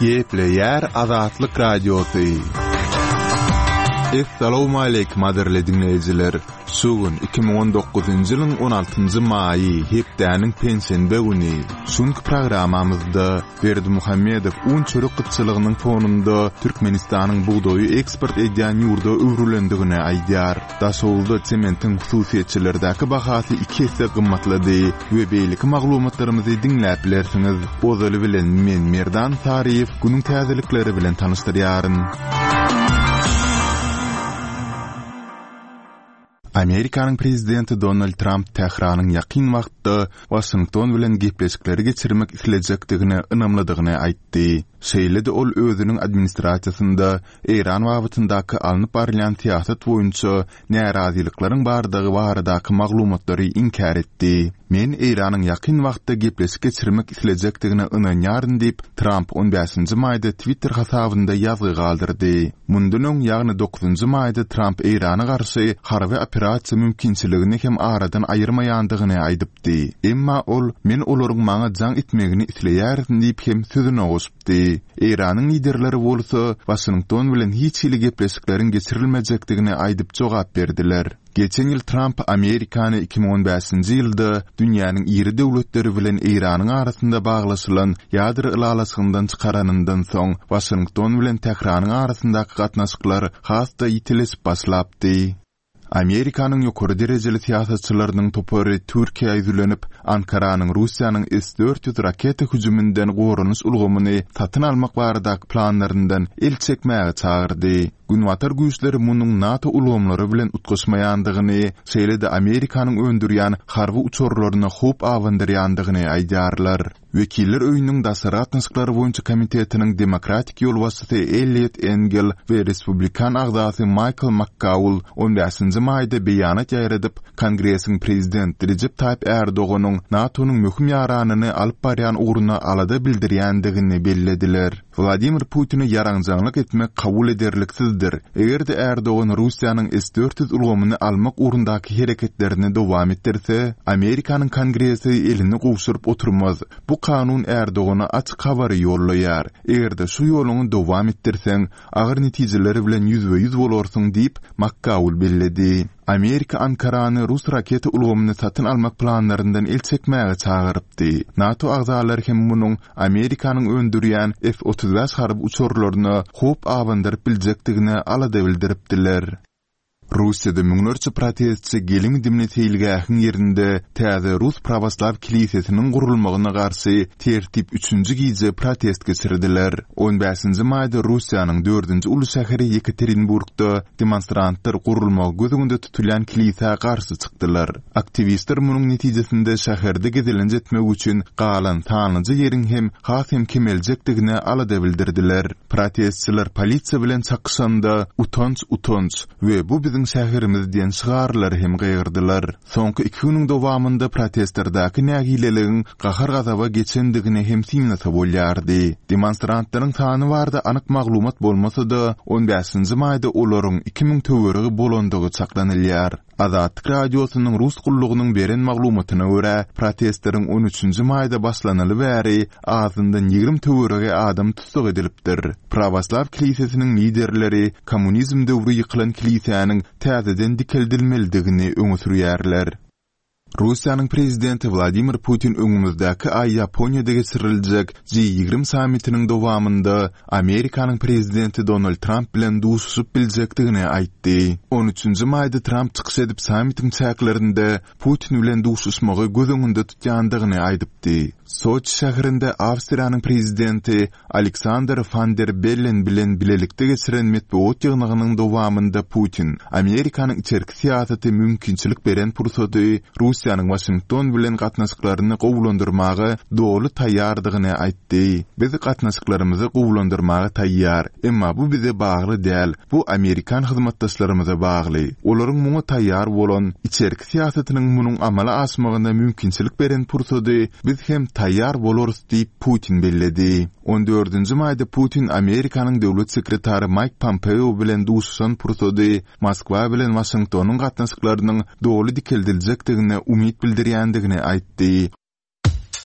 Gepleýär Azatlyk Radiosy. Essalawmaleýkim gadyrly diňleýjiler! Şu gün 2019-njy ýylyň 16-njy maýy, hepdäniň penşenbe güni. Şu günki programmamyzda Berdimuhamedow un-çörek gytçylygynyň fonunda Türkmenistanyň bugdaýy eksport edýän ýurda öwrülendigini aýdýar. Daşoguzda sementiň hususyýetçilerdäki bahasy iki esse gymmatlady we beýleki maglumatlarymyzy diňläp bilersiňiz. Ozaly bilen men Merdan Saryýew günüň täzelikleri bilen tanyşdyrýaryn. Amerikanyň prezidenti Donald Tramp Tähranyň ýakyn wagtda Waşington bilen gepleşikleri geçirmek islejekdigine ynamlydygyny aýtdy. Şeýle-de ol özüniň administrasiýasynda Eýran babatyndaky alnyp barylýan syýasat boýunça närazylyklaryň bardygy baradaky maglumatlary inkär etdi. Men Eýranyň ýakyn wagtda gepleşik geçirmek islejekdigine ynanýaryn diýip, Tramp on bäşinji maýda Twitter hasabynda ýazgy galdyrdy. Mundan öň, ýagny dokuzynjy maýda Tramp Eýrana garşy harby operasiýa mümkinçiligini hem aradan aýyrmaýandygyny aýdypdy. Emma ol, Men olaryň maňa jaň etmegini isleýärin diýip hem sözüne goşupdy. Eýranyň liderleri bolsa, Waşington bilen hiç hili gepleşikleriň geçirilmejekdigini aýdyp jogap berdiler. Geçen ýyl Tramp Amerikany 2015-nji ýylda dünýäniň iri döwletleri bilen Eýranyň arasynda baglaşylan ýadro ylalaşygyndan çykaranyndan soň, Waşington bilen Tähranyň arasyndaky gatnaşyklar has-da ýitileşip başlapdy. Amerikanyň ýokary derejeli syýasatçylarynyň topary Türkiýä ýüzlenip, Ankaranyň Russiýanyň S 400 raketa hüjüminden goranyş ulgamyny satyn almak baradaky planlaryndan el çekmäge çagyrdy. Günbatar güýçleri munuň NATO ulgamlary bilen utgaşmaýandygyny, şeýle-de Amerikanyň öndürýän harby uçarlaryna howp abandyrýandygyny aýdýarlar. Wekiller öýüniň Daşary gatnaşyklar boýunça komitetiniň demokratik ýolbaşçysy Elliot Engel we respublikan agzasy Maýkl Makkaul on bäşinji maýda beýanat ýaýradyp, Kongresiň prezident Rejep Taýyp Ärdoganyň NATO-nyň möhüm ýaranyny alyp barýan ugruna alada bildirýändigini bellediler. Wladimir Putine ýaranjaňlyk etmek kabul ederliksizdir. Eger-de Ärdogan Russiýanyň S 400 ulgamyny almak ugrundaky hereketlerini dowam etdirse, Amerikanyň Kongresi elini gowşuryp oturmaz. Bu kanun Ärdogana açyk habary ýollaýar. Eger-de şu ýoluňy dowam etdirseň, agyr netijeler bilen ýüzbe-ýüz bolarsyň diýip, Makkaul belledi. Amerika Ankarany rus raketa ulgamyny satyn almak planlaryndan el çekmäge çagyrypdy. NATO agzalary hem munuň Amerikanyň öndürýän F 35 harby uçarlaryna howp abandyryp biljekdigine alada bildiripdiler. Russiýada müňlerçe protestçi gelim-gidimli seýilgähiň ýerinde täze rus prawoslaw kilisesiniň gurulmagyna garşy tertip üçünji gije protest geçirdiler. On bäşinji maýda Russiýanyň dördünji uly şäheri Ýekaterinburgda demonstrantlar gurulmagy göz öňünde tutulýan kilisä garşy çykdylar. Aktiwistler munuň netijesinde şäherde gezelenç etmek üçin galan sanlyja ýeriň hem has hem kemeljekdigine alada bildirdiler. Protestçiler polisiýa bilen çakyşanda Utanç, utanç we Bu biziň şäherimiz diýen şygarlary hem gygyrdylar. Soňky iki günüň dowamynda protestlerdäki nägileligiň gahar-gazaba geçendigini hem synlasa bolýardy. Demonstrantlaryň sany barada anyk maglumat bolmasa-da, on bäşinji maýda olaryň 2000 töweregi bolandygy çaklanylýar. Azatlyk Radiosynyň Rus gullugynyň beren maglumatyna görä, protestleriň on üçünji maýda başlanaly bäri azyndan 20 töweregi adam tussag edilipdir. Prawoslaw kilisesiniň liderleri kommunizm döwri ýykylan kilisäniň täzeden dikeldilmelidigini öňe sürýärler. Russiýanyň prezidenti Wladimir Putin öňümizdäki aý Ýaponiýada geçiriljek G 20 sammitiniň dowamynda Amerikanyň prezidenti Donald Tramp bilen duşuşyp biljekdigini aýtdy. On üçünji maýda Tramp çykyş edip sammitiň çäklerinde Putin bilen duşuşmagy göz öňünde tutýandygyny aýdypdy. Soçi şäherinde Awstriýanyň prezidenti Aleksandr Wan der Bellen bilen bilelikde geçiren metbugat ýygnagynyň dowamynda Putin Amerikanyň içerki syýasaty mümkinçilik beren pursady Russiýanyň Waşington bilen gatnaşyklaryny gowulandyrmaga doly taýýardygyny aýtdy. Biz gatnaşyklarymyzy gowulandyrmaga taýýar. Emma bu bize bagly däl, bu amerikan hyzmatdaşlarymyza bagly. Olaryň muňa taýýar bolan, içerki syýasatynyň munuň amala aşmagyna mümkinçilik beren pursady biz hem taýýar bolarys diýip, Putin belledi. On dördünji maýda Putin Amerikanyň döwlet sekretary Maýk Pompeo bilen duşuşan pursady Moskwa bilen Waşingtonyň gatnaşyklarynyň doly dikeldiljekdigine umyt bildirýändigini aýtdy.